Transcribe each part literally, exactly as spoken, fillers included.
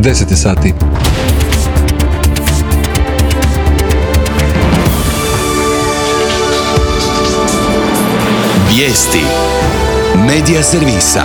deset je sati. Vijesti Medija servisa.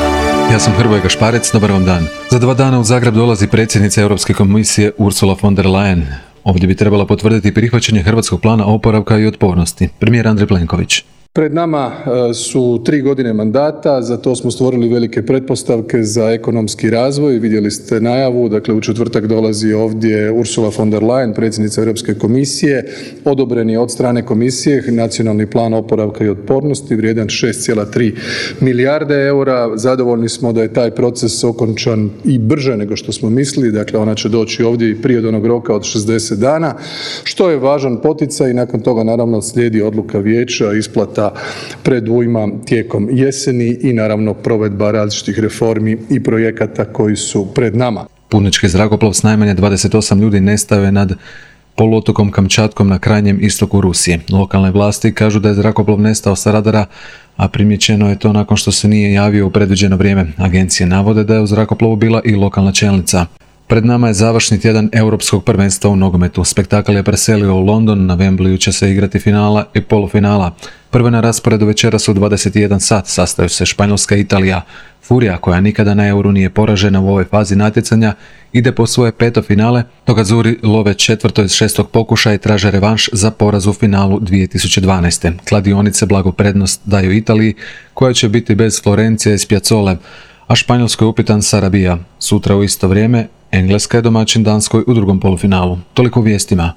Ja sam Hrvoje Gašparec, dobar vam dan. Za dva dana u Zagreb dolazi predsjednica Europske komisije Ursula von der Leyen. Ovdje bi trebala potvrditi prihvaćanje hrvatskog plana oporavka i otpornosti. Premijer Andrej Plenković. Pred nama su tri godine mandata, za to smo stvorili velike pretpostavke za ekonomski razvoj. Vidjeli ste najavu, dakle u četvrtak dolazi ovdje Ursula von der Leyen, predsjednica Europske komisije. Odobren je od strane komisije nacionalni plan oporavka i otpornosti vrijedan šest zarez tri milijarde eura. Zadovoljni smo da je taj proces okončan i brže nego što smo mislili, dakle ona će doći ovdje i prije od onog roka od šezdeset dana, što je važan poticaj i nakon toga naravno slijedi odluka vijeća, isplata predujma tijekom jeseni i naravno provedba različitih reformi i projekata koji su pred nama. Putnički zrakoplov s najmanje dvadeset osam ljudi nestao je nad poluotokom Kamčatkom na krajnjem istoku Rusije. Lokalne vlasti kažu da je zrakoplov nestao sa radara, a primijećeno je to nakon što se nije javio u predviđeno vrijeme. Agencije navode da je u zrakoplovu bila i lokalna čelnica. Pred nama je završni tjedan Europskog prvenstva u nogometu. Spektakl je preselio u London, na Wembleyu će se igrati finala i polufinala. Prve na rasporedu večeras u dvadeset jedan sat sastaju se Španjolska i Italija. Furija, koja nikada na Euru nije poražena u ovoj fazi natjecanja, ide po svoje peto finale, dok Azuri love četvrto iz šestog pokušaja i traže revanš za poraz u finalu dvije tisuće dvanaeste. Kladionice blagu prednost daju Italiji, koja će biti bez Florencije i Spiazzole, a Španjolskoj je upitan Sarabia. Sutra u isto vrijeme Engleska je domaćin Danskoj u drugom polufinalu. Toliko u vijestima.